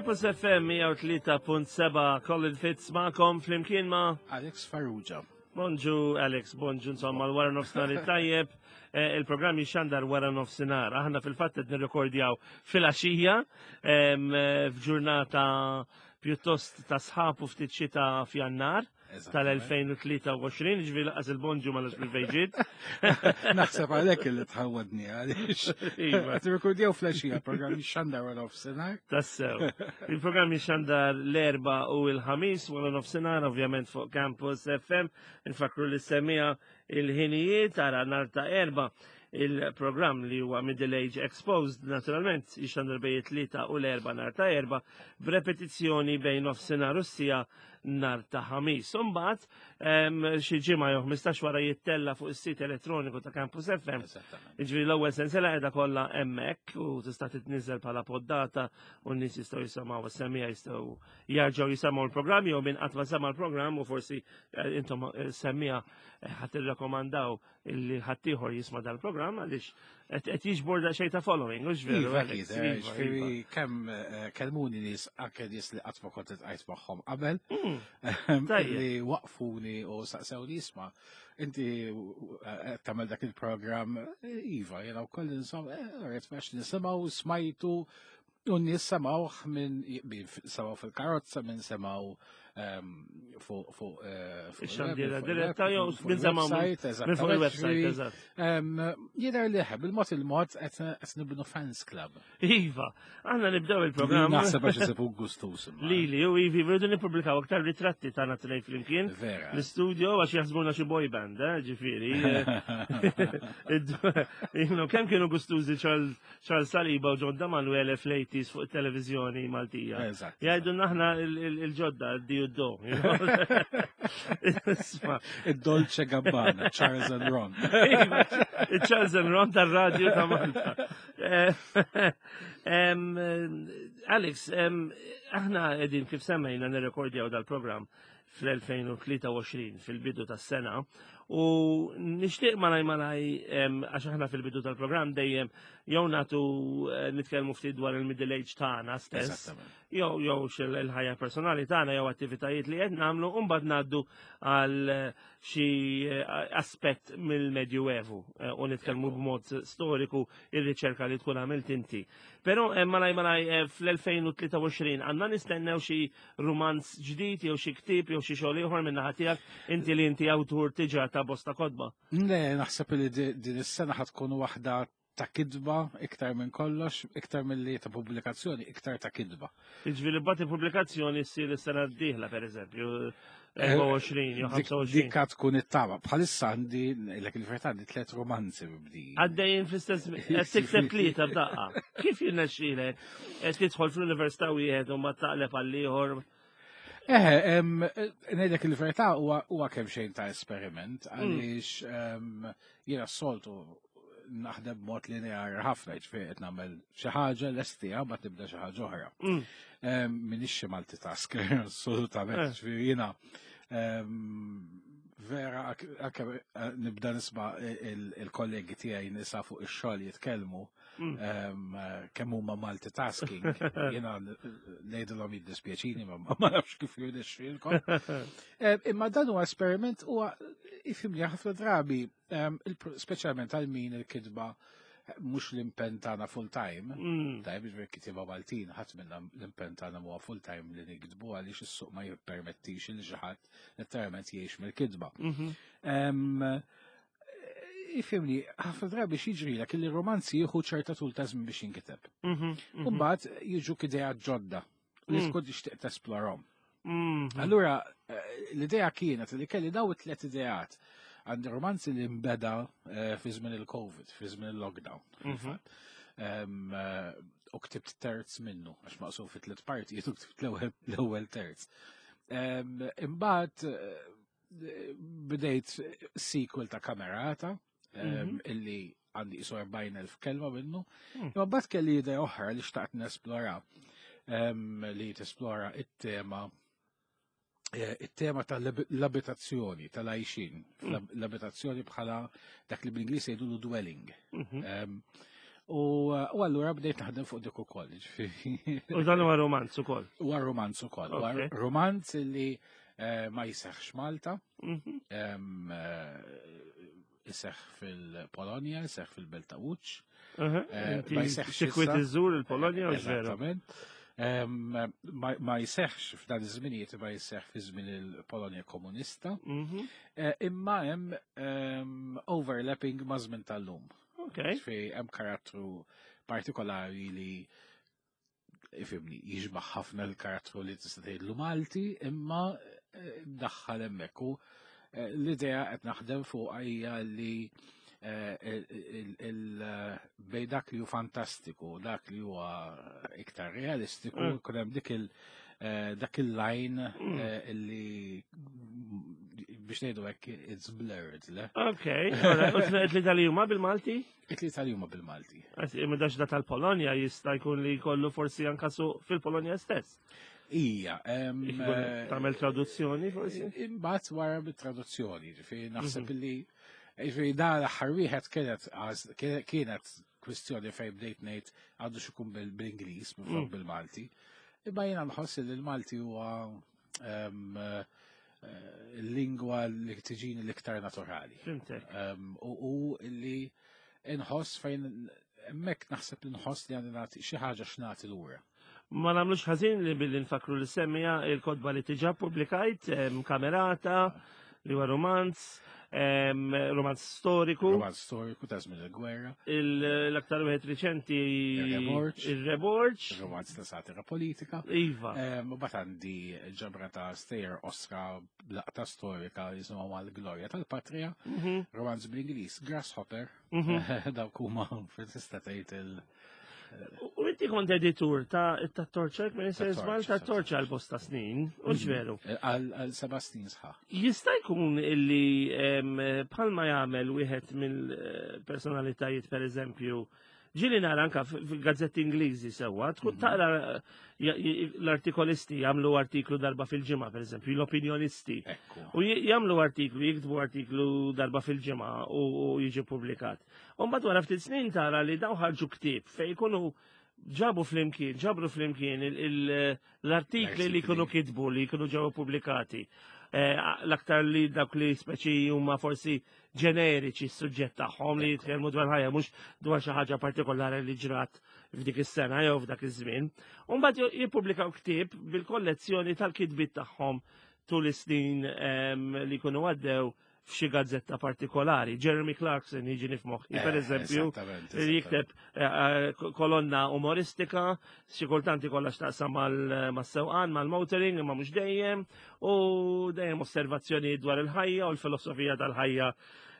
Campus FM 103.7 Colin Fitz ma'kom flimkien ma' Alex Farrugia. Bonġu Alex, bonġu insomma l-wara nofsinhar it-tajjeb. Eh, il-programm jixxandar wara nofsinhar. Aħna fil-fatt qed nirrekordjaw fil-għaxija eh, f'ġurnata pjuttost ta' sħab u ftit xita f'Jannar tal-2023, ġifieri laqas il-bonġu ma nafx bil-fejġiet. Naħseb għalhekk li tħawwadni għaliex. Iva. Qed irrekordjaw fl-għaxija programm jixxandar wara nofsinhar. Tassew. Il-programm jixxandar l-erba u l-ħamis wara nofsinhar ovvjament fuq Campus FM. Nfakru li semija il-ħinijiet ara nar ta' erba il-programm li huwa Middle Age Exposed naturalment jixxandar bejn it-tlieta u l-erba nar ta' erba b'repetizzjoni bejn nofsinhar u s-sija nar ta' ħamis. Imbagħad xi ġimgħa jew 15 wara jittella fuq is-sit elettroniku ta' Campus FM. Jiġifieri l-ewwel sensiela qiegħda kollha hemmhekk u tista' titniżel bħala poddata u n-nies jistgħu jisimgħu is-semija jistgħu jarġgħu jisimgħu l-programm jew min qatt ma sema' l-programm u forsi eh, intom eh, semmija eh, ħadd irrakkomandaw illi ħaddieħor jisma' dal-programm għaliex qed jiġbor daqsxejn ta' following, hux veru? Iva, iva, iva, ġifieri iva. kemm eh, kellmuni nies anke nies li qatt ma kont iltqajt magħhom qabel mm. li waqfuni u saqsewni isma' inti eh, tagħmel dak il-programm eh, iva, jiena wkoll insomma, rrid nisimgħu smajtu U n-nies semawh minn semgħu fil-karozza, minn semgħu ehm, fuq fuq eh, ix-xandiera diretta jew minn semgħu minn fuq il-website, eżatt. Ehm, jidher li bil-mod il-mod qed nibnu fans club. Iva, aħna nibdew il-programm. Naħseb għax isibu gustus. Lili u Ivi, rridu nippubblikaw aktar ritratti tagħna tnejn flimkien. L-istudio għax jaħsbuna xi boy band, eh, ġifieri. Kemm kienu gustużi Charles Charles Saliba u John Damanuele fl-80s fuq it-televizjoni Maltija. Eżatt. Jgħidu naħna il-ġodda, d-di u d-do. Il-Dolce Gabbana, Charles and Ron. Iva, Charles and Ron tal-radio ta' Malta. Eh, Alex, aħna edin kif semmejna nirrekordjaw dal-program fl-2023 fil-bidu tas-sena u nixtieq malaj malaj għax aħna fil-bidu tal-programm dejjem jew nagħtu eh, nitkellmu ftit dwar il-middle age tagħna stess jew jew il-ħajja personali tagħna jew attivitajiet li qed nagħmlu u mbagħad ngħaddu għal eh, xi eh, aspett mill-Medjuevu u nitkellmu b'mod storiku ir-riċerka li tkun għamilt inti. Però malaj malaj fl-2023 għandna nistennew xi rumanz ġdid jew xi ktieb jew xi xogħol ieħor minn naħa tiegħek inti li inti awtur tiġa ta' bosta kotba. Le, naħseb li din is-sena ħad tkun waħda ta' kidba iktar minn kollox, iktar milli ta' pubblikazzjoni, iktar ta' kidba. Jiġifieri bagħad il-pubblikazzjoni ssir is-sena d-dieħla pereżempju, 24 jew 25. Dikka tkun it-tama. Bħalissa għandi, l il-verità għandi tliet romanzi mibdi. Għaddejjin fl-istess, qed tikteb tlieta f'daqqa. Kif jirnexxielek qed tidħol fl-università wieħed u ma taqleb għal ieħor? Eh, ngħidlek il-verità huwa kemm xejn ta' esperiment mm. għaliex jiena s-soltu naħdem b'mod lineari ħafna, ġifieri qed nagħmel xi ħaġa lestija ma tibda xi ħaġa oħra. Mm. Minix xi multitasker, assolutament, eh. ġifieri jiena vera anke eh, nibda nisma' il-kollegi tiegħi nisa fuq ix-xogħol jitkellmu mm. kemm huma multitasking. Jiena ngħidilhom jiddispjaċini ma ma nafx kif jirnexxielkom. Imma dan huwa esperiment huwa ifhimni ħafna drabi Speċjalment għal min il-kitba eh, mhux l-impenn tagħna full time, mm. tajb biex kitba Maltin, ħadd minna l-impenn tagħna huwa full time li nikdbu għaliex is-suq ma jippermettix li xi ħadd letteralment jgħix mill-kitba. Mhm. Ifimni, ħafna drabi x'jiġrilek li romanzi jieħu ċerta tul ta' żmien biex jinkiteb. Mhm, mhm. U mbagħad jiġu idea ġodda li mm. tkun tixtieq tesplorhom. Mm-hmm. Allura, eh, l-idea kienet li kelli daw it-tlet ideat għandi romanzi li mbeda eh, fi żmien il-Covid, fi żmien il-lockdown. Mhm. Eh, u ktibt terz minnu, għax maqsum fi tliet parti, u ktibt l-ewwel terz. Imbagħad bdejt sequel ta' kamerata mhm. illi għandi isu 40.000 kelma minnu. Hmm. Imma bat kelli idea oħra li xtaqt nesplora li tesplora it-tema eh, it-tema tal-abitazzjoni, tal-għajxin, hmm. l-abitazzjoni bħala dak li bl-Ingliż jgħidulu dwelling. Mhm. U allura bdejt naħdem fuq dik ukoll, ġifieri. U dan huwa romanz ukoll. Huwa romanz ukoll. Huwa romanz li eh, ma jiseħħx Malta. Mhm. Eh, iseħħ fil-Polonja, iseħħ fil-Belt ta' Łódź. Eh, ma jiseħħx. Sikwit iżżur il-Polonja u Eżattament. Ma jiseħħx f'dan iż-żminijiet ma jiseħħ fi żmien il-Polonja komunista. Mhm. Imma hemm overlapping ma' żmien tal-lum. Okay. Fi hemm karattru partikolari li ifimni jiġbaħ ħafna l-karattru li tista' tgħidlu Malti, imma eh, daħħal hemmhekk u eh, l-idea qed naħdem fuq hija li eh, bej dak li hu fantastiku, dak li huwa iktar realistiku, mm. kun hemm dik il- dak il-line li biex ngħidu hekk it's blurred, le? Ok, u tlieta li huma bil-Malti? It-tlieta li huma bil-Malti. Imma dax da tal-Polonja jista' jkun li jkollu forsi anka su fil-Polonja stess. Ija. Tagħmel traduzzjoni forsi? Imbagħad wara bit-traduzzjoni, ġifieri naħseb mhm. li ġifieri da l-aħħar wieħed kienet kienet kwistjoni fejn bdejt ngħid għandu xikun bil-Ingliż minflok mm. bil-Malti. Imma jiena nħoss li l-Malti huwa eh, l-lingwa li tiġini l-iktar naturali. U li nħoss fejn hemmhekk naħseb li nħoss li għandi nagħti xi ħaġa x'nagħti lura. Ma nagħmlux ħażin li billi nfakru li semmija il-kotba li tiġa publikajt, kamerata, li huwa romanz, romanz storiku. Romanz storiku ta' żmien il-gwerra. L-aktar wieħed riċenti il-Reborġ. Romanz ta' satira politika. Iva. Bat għandi ġabra ta' stejjer osra laqta storika jisimha mal-glorja tal-patria. Mhm. Romanz bl-Ingliż Grasshopper. Mhm. Dawk huma tista' tgħid il- U inti kont editur ta' ta' Torċek, minn żball ta' Torċa għal bosta snin, u mhm. ġveru. Eh, għal seba' snin sħaħ. Jista' jkun illi bħalma jagħmel wieħed mill-personalitajiet per eżempju, ġili nara anka fil-gazzetti Ingliżi sewwa, tkun mhm. taqra l-artikolisti jagħmlu artiklu darba fil-ġimgħa, per eżempju, l-opinjonisti. U jagħmlu artiklu, jiktbu artiklu darba fil-ġimgħa u jiġi publikat. U mbagħad wara ftit snin tara li daw ħarġu ktieb fejn ikunu ġabu flimkien, ġabru flimkien l-artikli li jkunu kitbu, li jkunu ġew pubblikati. Eh, l-aktar li dawk li speċi huma forsi ġeneriċi s-suġġett tagħhom li jitkellmu dwar ħajja mhux dwar xi ħaġa partikolari li ġrat f'dik is-sena jew f'dak iż-żmien. U mbagħad jippubblikaw ktieb bil-kollezzjoni tal-kitbiet tagħhom tul is-snin ehm, li jkunu għaddew f'xi gazzetta partikolari. Jeremy Clarkson jiġi f'moħħi, eh, per eżempju, li jikteb eh, eh, kolonna umoristika, xi kultant ikollha x'taqsam mas-sewqan, mal-motoring, imma mhux dejjem, u dejjem osservazzjoni dwar il-ħajja u l-filosofija tal-ħajja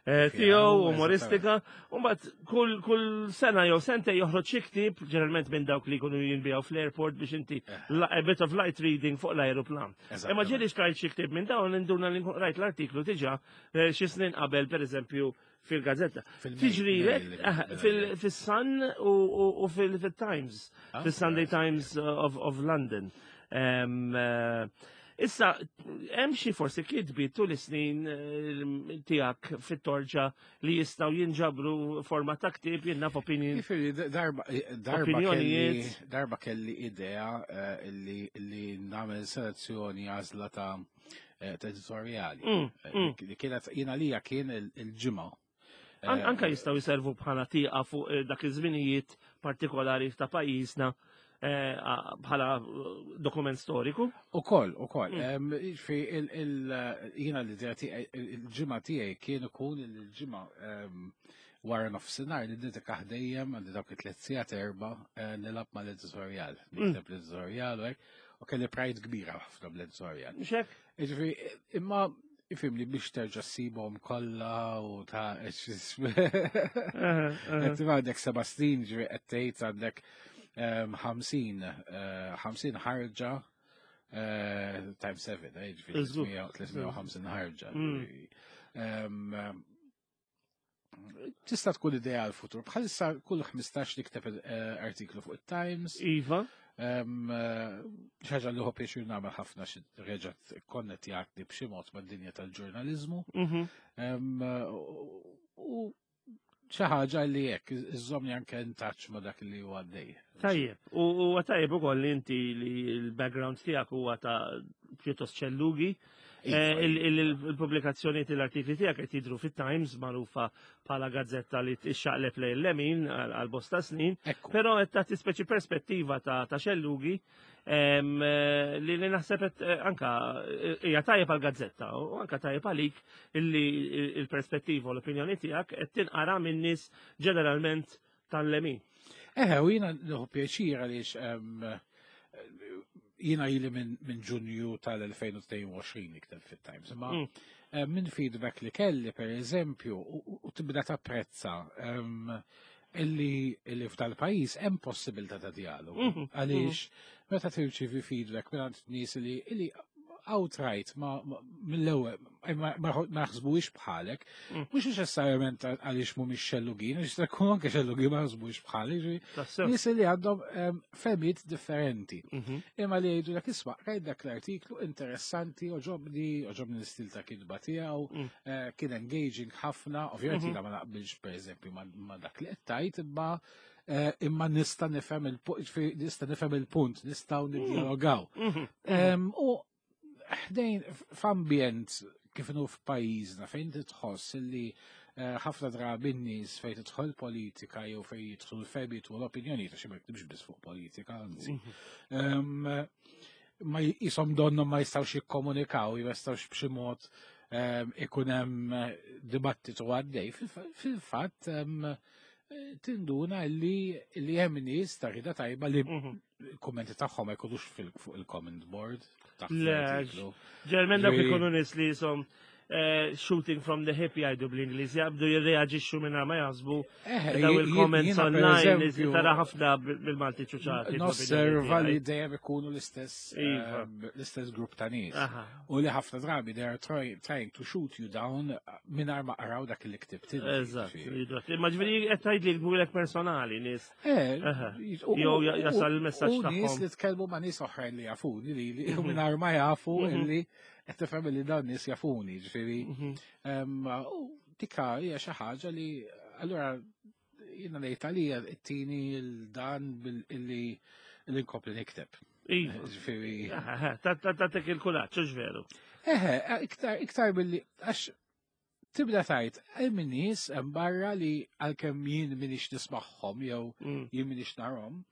tiegħu umoristika. U mbagħad kull kull sena jew sente joħroġ xi ktieb, ġeneralment minn dawk li jkunu jinbijaw fl-airport biex inti a bit of light reading fuq l-aeroplan. Imma ġieli xtrajt xi ktieb minn dawn induna li rajt l-artiklu diġà eh, xi snin qabel pereżempju fil-gazzetta. Tiġri eh, fil-Sun u fil-Times, ah, fil-Sunday Times of London. Eh, issa, hemm xi forsi kitbi tul is-snin tiegħek fit-torġa li jistgħu jinġabru forma ta' ktieb jien naf opinion. Jiġifieri darba darba kelli darba kelli idea eh, li li nagħmel selezzjoni għażla ta' eh, ta' editorjali. Mm, eh, mm. Li kienet jien għalija kien il-ġimgħa. Anka jistgħu jservu bħala tieqa fuq dak iż-żminijiet partikolari ta' pajjiżna Eh, bħala eh, dokument storiku. U koll, u koll. Mm. Fi jina l-idea il-ġimgħa tiegħi kien ikun il-ġimgħa wara nofsinhar li nidika dejjem għandi dawk it-tliet sigħat erba' eh, nilgħab mal-editorjal. Mm. Nikteb l-editorjal u hekk, u kelli pride kbira ħafna bl-editorjal. Xek? Ġifieri, imma ifimni biex terġa' ssibhom kollha u ta' Qed għandek seba' snin ġifieri qed tgħid għandek 50 ehm, eh, ħarġa eh, times 7, eh, ġifieri 350 ħarġa. Mm. Ehm, tista' tkun idea għal futur. Bħalissa kull 15 nikteb eh, artiklu fuq it-Times. Iva. Eh, xaġa li ħobb pjaċir nagħmel ħafna xi reġgħetkonnettjatni b'xi mod mad-dinja tal-ġurnaliżmu. Mhm. U xi ħaġa li hekk iżżommni anke in touch ma' dak li huwa għaddej. Tajjeb, u huwa tajjeb ukoll li inti li l-background tiegħek huwa ta' pjuttost ċellugi. Iva, Eh, Il-pubblikazzjoni tal-artikli tiegħek qed jidhru fit-Times magħrufa bħala gazzetta li tixxaqleb lejn l-lemin għal bosta snin, Ekku. però qed tagħti speċi perspettiva ta' xellugi li naħseb qed anka hija tajjeb għal gazzetta u anka tajjeb għalik illi il-perspettiva u l-opinjoni tiegħek qed tinqara minn nies ġeneralment tal-lemin. Eħe, u jiena nieħu pjaċir għaliex jiena ili minn Ġunju tal-2022 nikteb fit-Times. Imma minn feedback li kelli, per eżempju, u tibda tapprezza illi f'dal-pajjiż hemm possibilità ta' dialogu. Għaliex meta tirċievi feedback minn nies li outright ma mill-ewwel ma jaħsbuhiex bħalek, mhux neċessarjament għaliex mhumiex xellugin, għax jista' jkun anke xellugin ma jaħsbuhiex bħalek, ġifieri nies li għandhom fehmiet differenti. Imma li jgħidu dak isma' rajt dak l-artiklu interessanti, oġobni l-istil ta' kitba tiegħu, kien engaging ħafna, ovvjament jiena ma naqbilx pereżempju ma dak li qed tgħid, imma nista' nifhem nista' nifhem il-punt, nistgħu niddialogaw. U ħdejn f'ambjent kif inhu f'pajjiżna fejn titħoss illi ħafna drabi n-nies fejn tidħol politika jew fejn jidħlu l-fehmiet u l-opinjoni, ta' xi ma jiktibx biss fuq politika, anzi. Ma jisom donnu ma jistgħux jikkomunikaw, ma jistgħux b'xi mod ikun hemm dibattitu għaddej. Fil-fatt tinduna li hemm nies ta' rida tajba li kummenti tagħhom ma jkunux fuq il-comment board. Taħt Le, l-artiklu. Ġeneralment dawk Ġifieri ikunu nies li jisom shooting from the hip jgħidu bl-Ingliż, jaqbdu jirreaġixxu minn ma jaħsbu daw il-comments Jiena per online eżempju tara ħafna bil-Malti ċuċati, Nosserva bl-opinjoni li tiegħi. dejjem ikunu l-istess grupp ta' nies. U li ħafna drabi they are trying to shoot you down mingħajr ma qraw dak li ktibt inti, Eżatt, ġifieri. jidwat. Imma ġifieri qed tgħid li jkunu personali nies. Jew jasal il-messaġġ U nies tagħhom. li tkellmu ma' nies oħrajn li jafuni li mingħajr ma jafu illi qed tifhem li dawn nies jafuni, ġifieri. U dika hija xi ħaġa li allura jiena ngħid għalija ttini l-dan illi nkompli nikteb. Iva. Ġifieri. Tatek il-kuraġġ, hux veru? Eħe, iktar billi għax tibda tajt, hemm nies hemm barra li għalkemm jien m'iniex nismagħhom jew jien m'iniex narhom,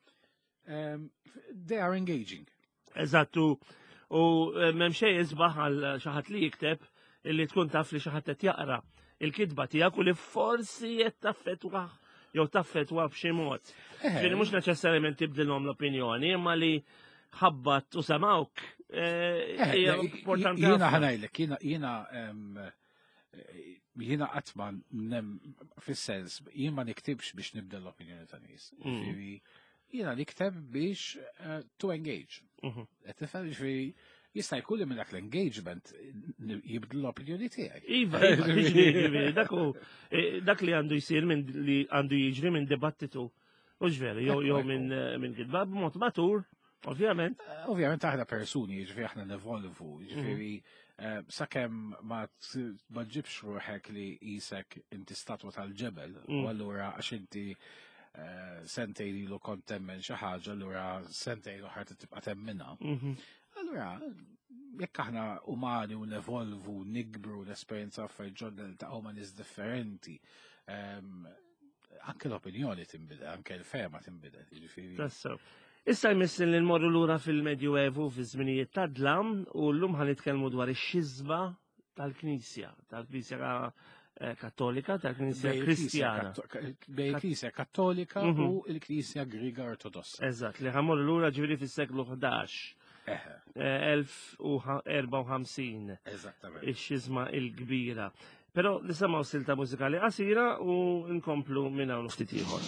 they are engaging. Eżattu, u m'hemm xejn isbaħ għal xi ħadd li jikteb illi tkun taf li xi ħadd qed jaqra il-kitba tiegħek u li forsi qed taffettwah jew taffettwa b'xi mod. Ġifieri mhux neċessarjament tibdilhom l-opinjoni, imma li ħabbat u semawk, hija importanti Jiena ħafna. ħa ngħidlek, jiena qatt ma nem fis-sens, jien ma niktibx biex nibdel l-opinjoni ta' nies. Ġifieri, jiena nikteb biex to engage. Qed tifhem, ġifieri, jista' jkun li minn dak l-engagement jibdlu l-opinjoni tiegħi. Iva, iva, tiġri, ġifieri, dak hu dak li għandu jsir minn li għandu jiġri minn dibattitu. Mhux veru, jew minn kitba b'mod matur, ovvjament. Ovvjament aħna persuni, ġifieri aħna nevolvu, ġifieri, sakemm ma ġibx ruħek li jisek inti statwa tal-ġebel, u allura għax inti sentejn ilu kont temmen xi ħaġa, allura sentejn oħra tibqa' temminha. Allura, jekk aħna umani u nevolvu, nikbru, l-esperjenza affarijiet ġodda li taqgħu ma' nies differenti, anke l-opinjoni tinbidel, anke l-fehma tinbidel, jiġifieri. Tassew. Issa jmiss li nmorru lura fil-Medjuevu fi żminijiet ta' dlam u llum ħa nitkellmu dwar ix-xiżma tal-Knisja, tal-Knisja Kattolika, tal-Knisja Bejn il-Knisja Kristjana. Bejn il-Knisja Kattolika u l-Knisja Griega Ortodossa. Eżatt, li ħa mmorru lura ġifieri fis-seklu 11. 1054. Eżattament. Ix-xiżma il-kbira. Però nisimgħu silta mużikali qasira u nkomplu minn hawn ftit ieħor.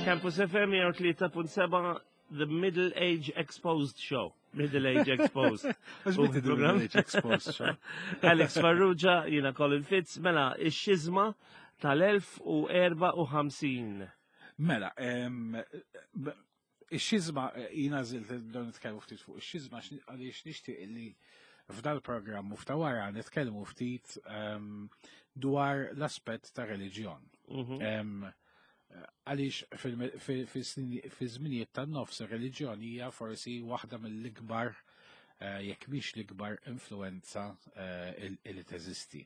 Campus FM 103.7 The Middle Age Exposed Show. Middle Age Exposed. Middle Age Exposed Show. Alex Farrugia, jina Colin Fitz, mela, ix-xizma tal-1054. Mela, ix-xizma, jina zilt don nitkellmu ftit fuq ix-xizma għaliex nixtieq li f'dal-programm u f'ta' wara nitkellmu ftit dwar l-aspett ta' reliġjon. Mhm. Għaliex fi żminijiet tan-nofs ir-reliġjon hija forsi waħda mill-ikbar eh, jekk mhix l-ikbar influenza eh, li teżisti.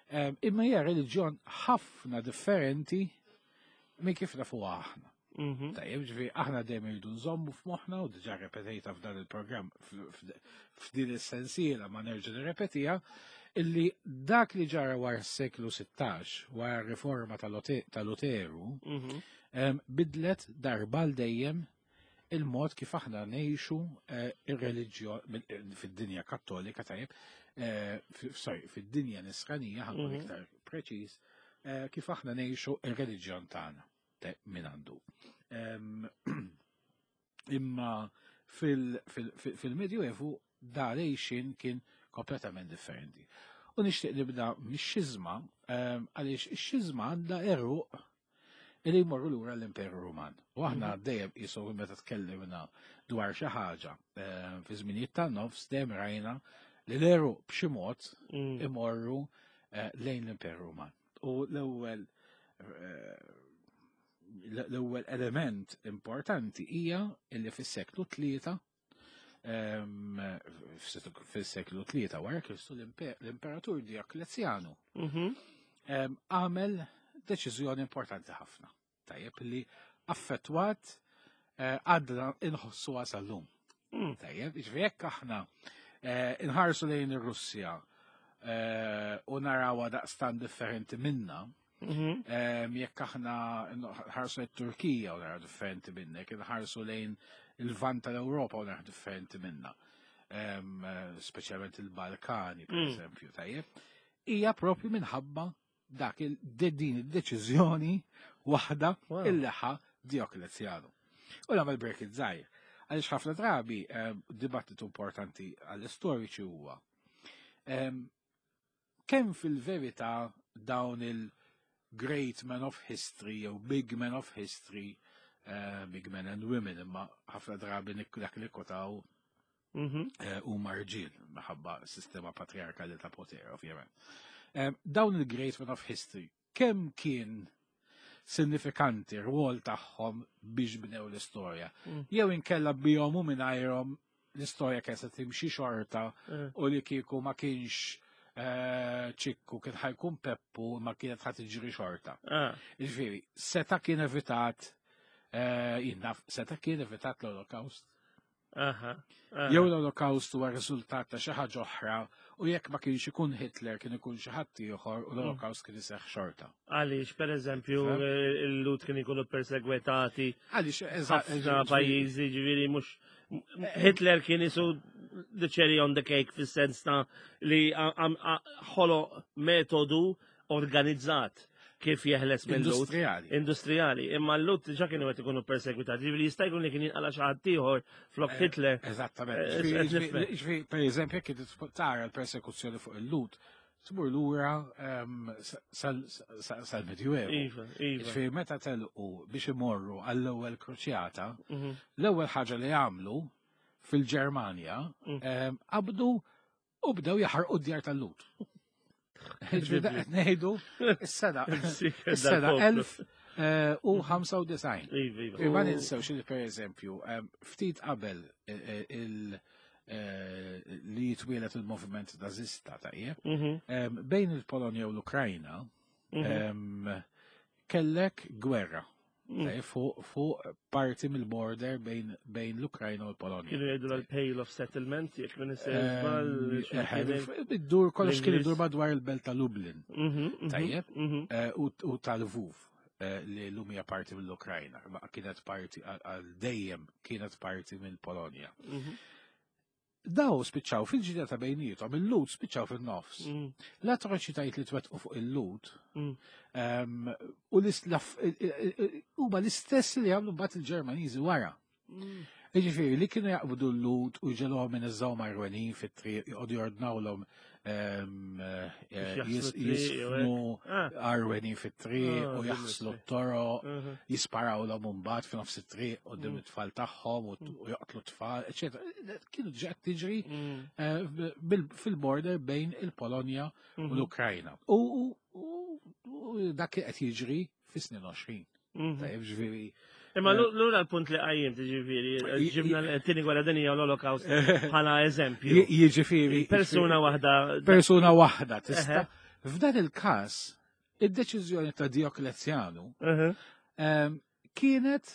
Imma hija reliġjon ħafna differenti minn kif nafuha aħna. Mhm. Tajjeb, ġifieri aħna dejjem irridu nżommu f'moħħna u diġà repetejta f'dan il-programm f'din is-sensiela ma nerġa' nirrepetiha illi dak li ġara wara s-seklu 16 wara r-riforma ta' Luteru mhm. bidlet darba l dejjem il-mod kif aħna ngħixu eh, ir-reliġjon eh, fid-dinja kattolika tajjeb, eh, sorry, fid-dinja nisranija ħankun mhm. iktar preċiż, kif aħna ngħixu ir-reliġjon tagħna. Min għandu. Imma fil-Medjuevu da lejxin kien kompletament differenti. U nixtieq nibda mix-xiżma għaliex ix-xiżma għandha eruq li jmorru lura l-Imperu Ruman. U aħna mhm. dejjem qisu meta tkellimna dwar xi ħaġa fi żminijiet tan-nofs dejjem rajna li l-eruq b'xi mod mm. imorru eh, lejn l-Imperu Ruman. U l-ewwel eh, l-ewwel element importanti hija li fis-seklu tlieta ehm, fis-seklu tlieta wara Kristu l-Imperatur Dioklezjanu mhm. ehm, għamel deċiżjoni importanti ħafna. Tajjeb li affettwat eh, għadna inħossuha sal-lum. Mm. Tajjeb, ġifieri jekk aħna eh, inħarsu lejn ir-Russja eh, u narawha daqstan differenti minna, mhm. jekk aħna nħarsu lejn Turkija u naraw differenti minna, jekk inħarsu lejn il-vant tal-Ewropa u naraw differenti minna, speċjalment il-Balkani, per mm. eżempju, tajjeb, hija propju minħabba dak din id-deċiżjoni waħda illi ħa Dioklezjanu. U nagħmel break żgħir. Għaliex ħafna drabi eh, dibattitu importanti għall-istoriċi huwa ehm, kemm fil-verità dawn il-great men of history jew big men of history, eh, big men and women, imma ħafna drabi dak li kotaw mhm. eh, huma rġiel minħabba sistema patriarkali ta' poter, ovvjament. Eh, dawn il-Great Men of History, kemm kien sinifikanti rwol tagħhom biex bnew l-istorja. Mm. Jew inkella bihom u mingħajrhom l-istorja kien se timxi xorta mm. u li kieku ma kienx eh, ċikku kien ħajkun Peppu ma kienet ħat tiġri xorta. Ah. Ġifieri, seta kien evitat jinnaf, seta kien evitat l-Holocaust. Jew l-Olokawst huwa riżultat ta' xi ħaġa oħra u jekk ma kienx ikun Hitler kien ikun xi ħadd ieħor u l-Olokawst kien iseħħ xorta. Għaliex pereżempju il-Lut kien ikunu persegwetati. Għaliex eżatt pajjiżi ġifieri mhux Hitler kien isu the cherry on the cake fis-sens ta' li ħolo metodu organizzat kif jeħles minn Industrijali. Industrijali. Imma l-lut diġà kienu qed ikunu persegwitati. Ġifieri jista' jkun li kien jinqala xi ħadd ieħor flok eh, Hitler. Eżattament. Eh, ġifieri pereżempju jekk tara l-persekuzzjoni fuq il-lut, tmur lura ehm, sal-Medjuevu. Iva, iva. Ġifieri meta telqu biex imorru għall-ewwel kruċjata, mhm. l-ewwel ħaġa li għamlu fil-Ġermanja mm. ehm, qabdu U bdew jaħarqu d-djar tal-lut. Ġifieri qed ngħidu is-sena is-sena 1095. Iva, iva. Ma ninsewx li pereżempju eh, ftit qabel eh, eh, li jitwielet il-moviment nazista tajjeb, mhm. bejn il-Polonja u l-Ukrajna mhm. kellek gwerra Mm. Fuq parti mill-border bejn l-Ukrajna u l-Polonja. Kienu jgħidu l-Pale of Settlement, jekk minn eh, Id-dur kollox kien idur madwar il-belt ta' Lublin. Mhm, mhm, Tajjeb, mhm. Eh, u tal-Lvov eh, li l-lum hija parti mill-Ukrajna, ma kienet parti għal dejjem kienet parti mill-Polonja. Daw spiċċaw fil-ġida ta' bejnietom, il-Lhud spiċċaw fin-nofs. L-atroċitajiet li twettqu fuq il-Lhud u huma l-istess li għamlu mbagħad il-Ġermaniżi wara. Jiġifieri li kienu jaqbdu l-Lhud u jġegħluhom ineżżgħu marwenin fit-triq, joqogħdu jordnawlhom jisfnu arwenin fit-triq u jaħslu t-toroq, jisparawlhom imbagħad f'nofs it-triq quddiem it-tfal tagħhom u joqtlu t-tfal, eċetera. Kienu diġà qed tiġri fil-border bejn il-Polonja u l-Ukrajna. U dak li qed jiġri fis-snin 20. Tajjeb, ġifieri. Imma lura l-punt li qajjim, ġifieri, ġibna l-tieni gwerra dinjija u l-Holocaust bħala eżempju. Jiġifieri. Persuna waħda. Persuna waħda tista'. F'dan il-każ, id-deċiżjoni ta' Dioklezjanu kienet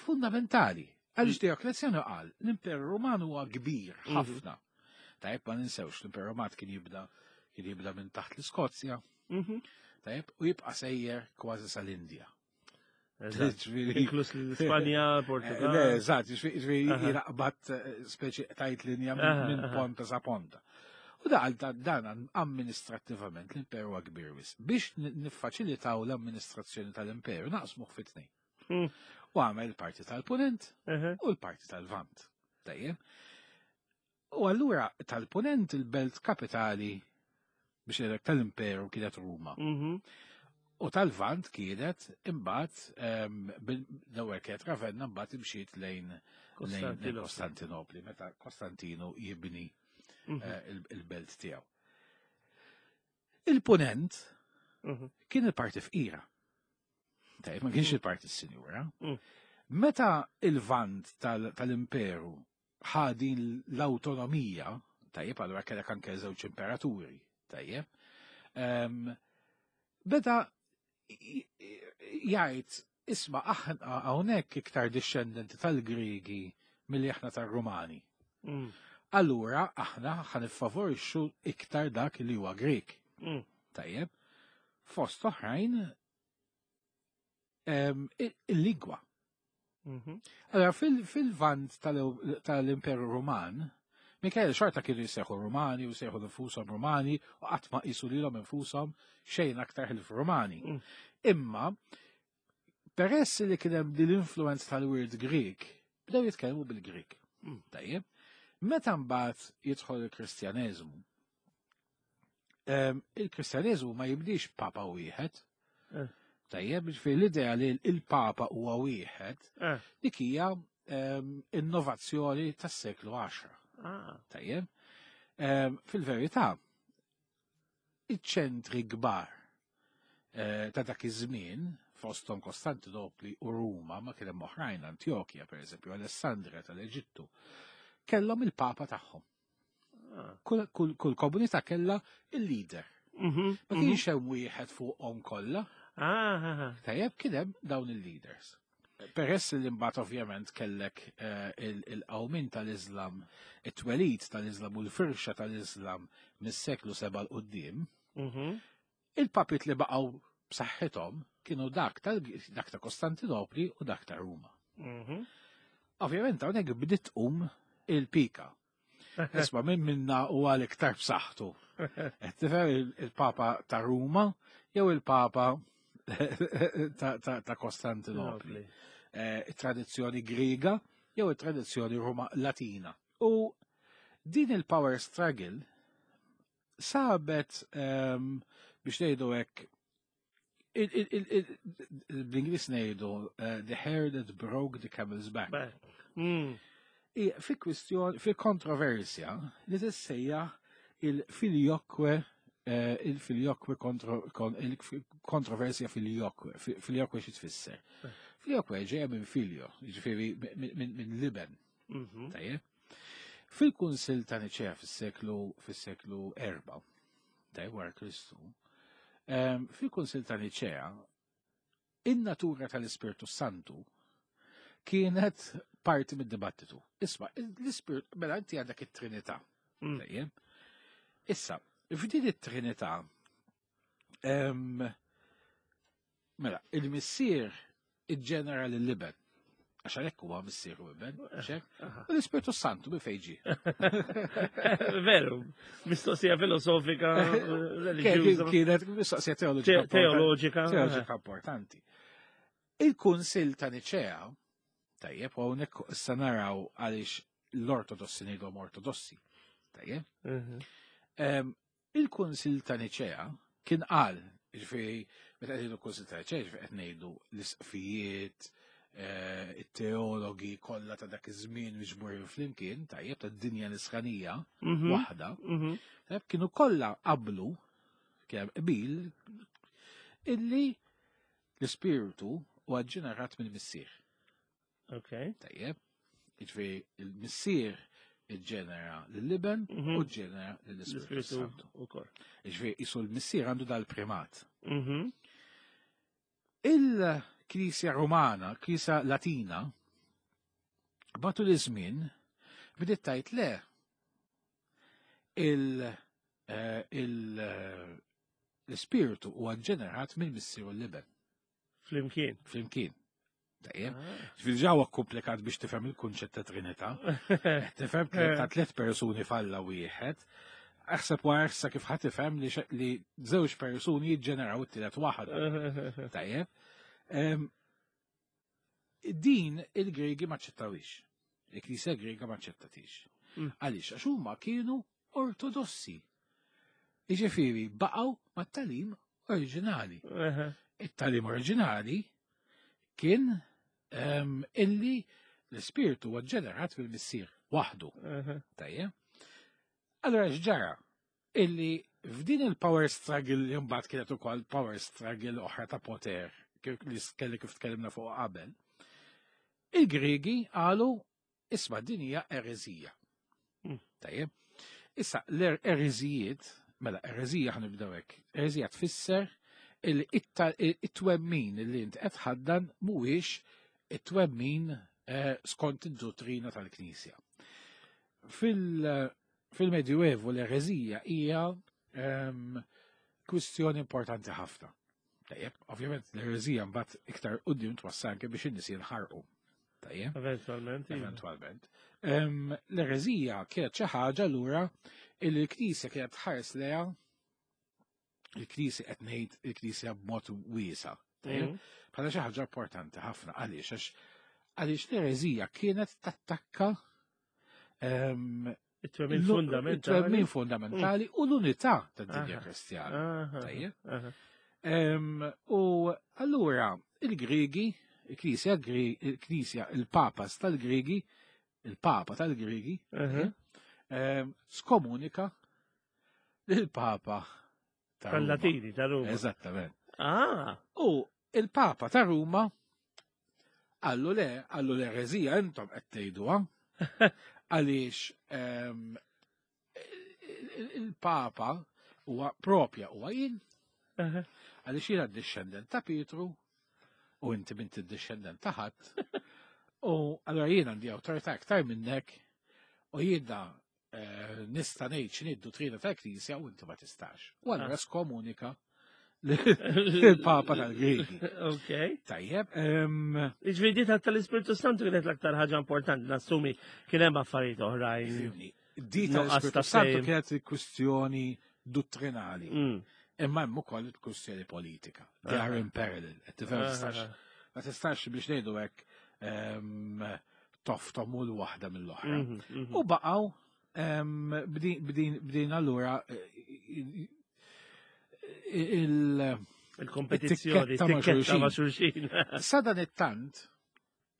fundamentali. Għaliex Dioklezjanu qal l-Imperu Ruman huwa kbir ħafna. Tajjeb, ma ninsewx l-Imperu Ruman kien jibda kien jibda minn taħt l-Iskozja. Tajjeb, u jibqa' sejjer kważi sal-Indja. Inklus l-Ispanja, Portugal. Le, eżatt, ġifieri jiraqbad speċi tajt linja minn ponta sa ponta. U da għal dan amministrattivament l-imperu huwa kbir wis. Biex niffaċilitaw l-amministrazzjoni tal-imperu naqsmuh fi tnejn. U għamel il-parti tal-punent u l-parti tal-vant. Tajjeb. U allura tal-punent il-belt kapitali biex ngħidlek tal-imperu kienet Ruma. U tal-vant kienet imbagħad l-ewwel kienet Ravenna, mbagħad imxiet lejn Kostantinopli, meta Kostantinu jibni il-belt tiegħu. Il-punent kien il-parti fqira. Tajjeb, ma kienx il-parti s-sinjura. Meta il-vant tal-imperu ħa din l-autonomija, tajjeb, allura kellek anke żewġ imperaturi, tajjeb, beda jgħid, isma' aħna hawnhekk iktar dixxendenti tal-Griegi milli aħna tar-Rumani. Allura aħna ħa niffavorixxu iktar dak li huwa Grieg. Tajjeb, fost oħrajn il-lingwa. Allora fil-vant tal-Imperu Ruman, Michael xorta kienu jseħu Rumani u jseħu nfushom Rumani u qatt ma qisu lilhom infushom xejn aktar ħlief Rumani. Imma peress li kien hemm din l-influenza tal-wirt Grieg, bdew jitkellmu bil-Grieg. Tajjeb. Meta mbagħad jidħol il-Kristjaneżmu, il-Kristjaneżmu ma jibdix papa wieħed. Tajjeb, ġifieri l-idea li l-papa huwa wieħed, dik hija innovazzjoni tas-seklu 10. Tajjeb. Fil-verità, iċ-ċentri kbar ta' dak iż-żmien, fosthom Kostantinopli u Ruma, ma kien hemm oħrajn, Antjokja pereżempju, Alessandria tal-Eġittu, kellhom il-papa tagħhom. Kull komunità kellha il-leader. Ma kienx hemm wieħed fuqhom kollha. Tajjeb, kien hemm dawn il-leaders. Peress li mbagħad ovvjament kellek il-qawmin tal-Islam, it-twelid tal-Islam u l-firxa tal-Islam mis-seklu 7 'l quddiem, il-papit li baqgħu b'saħħithom kienu dak ta' Kostantinopli u dak ta' Ruma. Ovvjament hawnhekk bdiet tqum il-pika. Isma' minn minna u għal iktar b'saħħtu. Qed tifhem il-Papa ta' Ruma jew il-Papa ta' Kostantinopli. It-tradizzjoni Griega jew it-tradizzjoni Ruma Latina. U din il-power struggle sabet biex ngħidu hekk bl-Ingliż ngħidu the hair that broke the camel's back. Fi kwistjoni, fi kontroversja li tissejjaħ il-filioque, il-filioque il-kontroversja filioque. Filioque xi tfisser? Filioque ġejja minn filio, jiġifieri minn liben. Tajjeb. Fil-Kunsill ta' Niċea fis-seklu 4, tajjeb, wara Kristu, fil-Kunsill ta' Niċea in-natura tal-Ispirtu Santu kienet parti mid-dibattitu. Isma', l-Ispirt, mela inti għandek it-Trinità. Tajjeb. Issa, f'din it-Trinità, mela, il-Missier iġġenera lill-Iben. Għax għalhekk huwa missier u iben, xek? U l-Ispirtu Santu bi fejn ġie. Veru, mistoqsija filosofika, reliġjuża. Kienet mistoqsija teoloġika. Teoloġika. Teoloġika importanti. Il-Kunsill ta' Niċea, tajjeb, u hawnhekk issa naraw għaliex l-Ortodossi ngħidhom Ortodossi. Tajjeb? Mhm. Il-Kunsill ta' Niċea kien qal, ġifieri meta qed ngħidu Kunsill ta' Niċea, ġifieri qed ngħidu l-isqfijiet, eh, it-teologi kollha ta' dak iż-żmien miġburin flimkien, tajjeb tad-dinja nisranija mhm. waħda, mhm. tajjeb kienu kollha qablu kemm qbil illi l-ispirtu huwa ġenerat mill-missier. Ok. Tajjeb. Jiġifieri il-missier iġġenera lill-iben mhm. u ġġenera lill-Ispirtu Santu. Ukoll. Jiġifieri isu l-missier għandu dal-primat. Mhm. Il-Knisja Romana, Knisja Latina, matul iż-żmien bdiet tajt le il- eh, eh, l-ispirtu huwa ġenerat mill-missier u l-iben. Flimkien. Flimkien. Tajjeb. Ah. Ġifieri ġewwa komplikat biex tifhem il-kunċett ta' Trinità. Tifhem ta' tliet persuni falla wieħed. Aħseb wara issa kif ħadd tifhem li żewġ persuni jiġġeneraw it-tielet waħda. Tajjeb. Din il-Gregi ma ċċettawix. Il-Knisja Grega ma ċċettatix. Mm. Għaliex għax huma kienu ortodossi. Jiġifieri baqgħu mat-talim oriġinali. It-talim oriġinali kien ehm, illi l-ispirtu huwa ġenerat mill-missier waħdu. Tajjeb. Allora x'ġara? Illi f'din il-power struggle li mbagħad kienet ukoll power struggle oħra ta' poter li kelli kif tkellimna fuq qabel, il-Griegi qalu Isma' din hija ereżija. Hmm. Tajjeb. Issa l-ereżijiet, mela ereżija ħanibdew hekk. Ereżija tfisser it-twemmin li int qed ħaddan mhuwiex it-twemmin eh, skont id-dottrina tal-Knisja. Fil-Medjuevu l-ereżija hija ehm, kwistjoni importanti ħafna. Tajjeb, ovvjament l-ereżija mbagħad iktar quddiem twassal anke biex in-nies jinħarqu. Tajjeb. Eventualment. Iva. Eventualment. L-ereżija kienet xi ħaġa lura li l-Knisja kienet tħares leha il-Knisja qed ngħid il-Knisja b'mod wiesa. Mhm. Bħala xi ħaġa importanti ħafna għaliex għax għaliex l-ereżija kienet tattakka it-twemmin fundamentali. It-twemmin fundamentali u l-unità tad-dinja Kristjana. Tajjeb. U allura il-Griegi, il-Knisja, il-Knisja, il-Papas tal-Griegi, il-Papa tal-Griegi, skomunika l-Papa tal-Latini ta' Ruma. Eżattament. Ah. U il-Papa ta' Ruma għallu le, għallu l-erezija intom qed tgħiduha għaliex ehm, il-Papa huwa propja huwa jien għaliex jiena d-discendent ta' Pietru u inti bint id-discendent ta' ħadd u allura jien għandi awtorità aktar minnek u jiena eh, nista' ngħid x'inhi d-duttrina tal-Knisja u inti ma tistax. U allura ah. skomunika l-Papa tal-Grigi. Ok. Tajjeb. Iġvidi tal-Ispirtu Santu kienet l-aktar ħaġa importanti nassumi kien hemm affarijiet oħrajn. Di tal-Ispirtu Santu kienet kwistjoni dottrinali. Mm. Imma hemm ukoll kwistjoni politika. They are in parallel. Ma tistax biex ngħidu hekk toftom u l-waħda mill-oħra. Mhm, mhm. U baqgħu bdin allura eh, il- Il-kompetizzjoni, tikketta ma' xulxin. Sadan it-tant,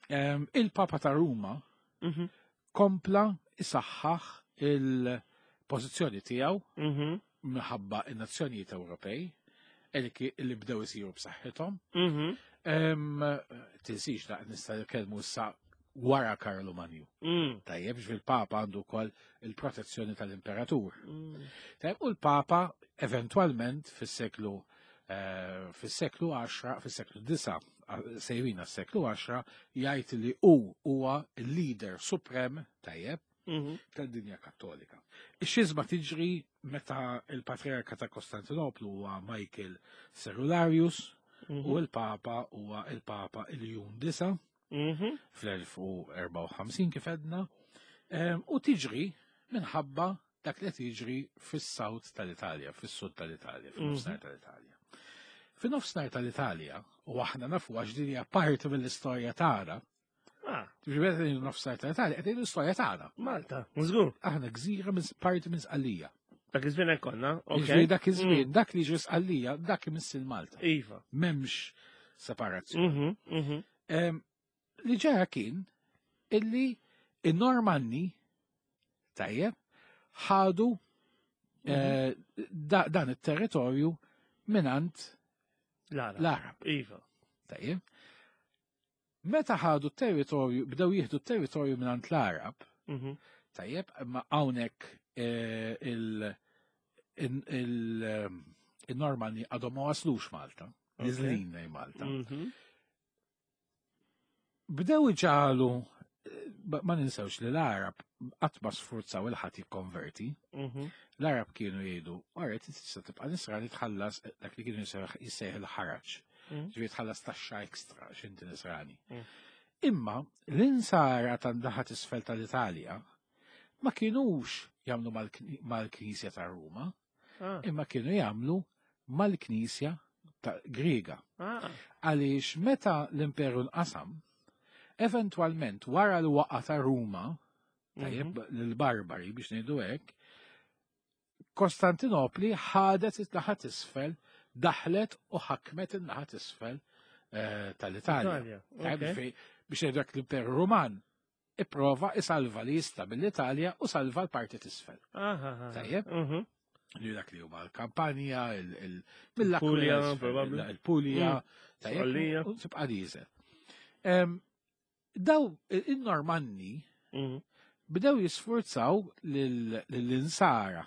il-Papa ta' Ruma mhm. kompla isaħħaħ il-pożizzjoni tiegħu minħabba in-nazzjonijiet Ewropej li bdew isiru b'saħħithom. Mhm. Tinsix da nista' nitkellmu issa wara Karlu Manju. Mm. Tajjeb, fil-Papa għandu wkoll il-protezzjoni tal-Imperatur. Mm. Tajjeb, u l-Papa eventwalment fis-seklu eh, fis-seklu 10, fis-seklu 9, sejrina s-seklu 10, jgħid li hu huwa l-leader suprem tajjeb mhm. tad-dinja kattolika. Ix-xiżma tiġri meta il-Patriarka ta' Kostantinoplu huwa Michael Cerularius mhm. u l-Papa huwa il-Papa Iljun Disa. Fl-1054 kif għedna, u tiġri minħabba dak li tiġri fis-south tal-Italja, fis-sud tal-Italja, fin-nofsinhar tal-Italja. Fin-nofsinhar tal-Italja, u aħna nafu għax din hija parti mill-istorja tagħna, Ġifieri qed nofsinhar tal-Italja, qed l-istorja tagħna. Malta, żgur. Aħna gżira minn parti minn Sqallija. Dak iż-żmien hekk konna, ok. Ġifieri dak iż-żmien, dak li ġi Sqallija, dak imiss il-Malta. Iva. M'hemmx separazzjoni. Li ġara kien illi in-Normanni tajjeb ħadu dan it-territorju minant l-Arab. Iva. Tajjeb. Meta ħadu t-territorju, bdew jieħdu t-territorju minant l-Arab, tajjeb, ma hawnhekk il-Normanni għadhom ma waslux Malta, niżlin lejn Malta. Bdew iġagħlu, ma ninsewx li l-Arab qatt ma sfurzaw il-ħadd jikkonverti. L-Arab kienu jgħidu, għaret, tista' tibqa' nisrani tħallas dak li kienu jissejħ il-ħaraġ. Ġifieri tħallas taxxa ekstra x'inti nisrani. Imma l-insara tan-naħa t'isfel tal-Italja ma kienux jagħmlu mal-Knisja ta' Ruma, imma kienu jagħmlu mal-Knisja ta' Griega. Għaliex meta l-Imperu nqasam, eventwalment wara l-waqa ta' Ruma, tajjeb l-barbari biex ngħidu hekk, Kostantinopli ħadet it-naħa t'isfel, daħlet u ħakmet in-naħa t'isfel tal-Italja. Italja, Tajjeb, ok. biex ngħidu hekk l-Imperu Ruman ipprova isalva li jista' mill-Italja u salva l-parti t'isfel. Tajjeb? Li dak li huma l-Kampanja, mill-Aquila, Il-Puglia, isfel, probabbli. il-Puglia, tajjeb, Sqallija. u tibqa' diesel. Daw il-Normanni bdew jisfurzaw lill-insara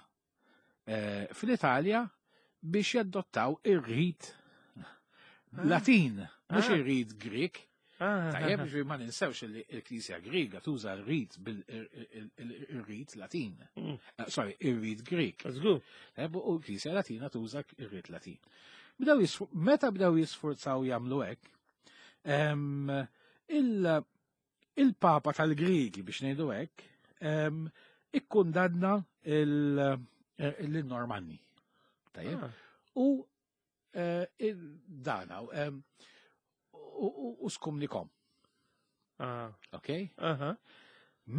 fl-Italja biex jaddottaw ir-rit Latin, mhux ir-rit Grek. Tajjeb, ġifieri ma ninsewx li l-Knisja Griega tuża r-rit bil-rit Latin. Sorry, ir-rit Grek. Żgur. Tajjeb, u l-Knisja Latina tuża ir-rit Latin. Meta bdew jisfurzaw jagħmlu hekk, il-Papa tal-Griegi biex ngħidu hekk, ikkundanna l-Normanni. Tajjeb? U dana, u skumnikom. Ok?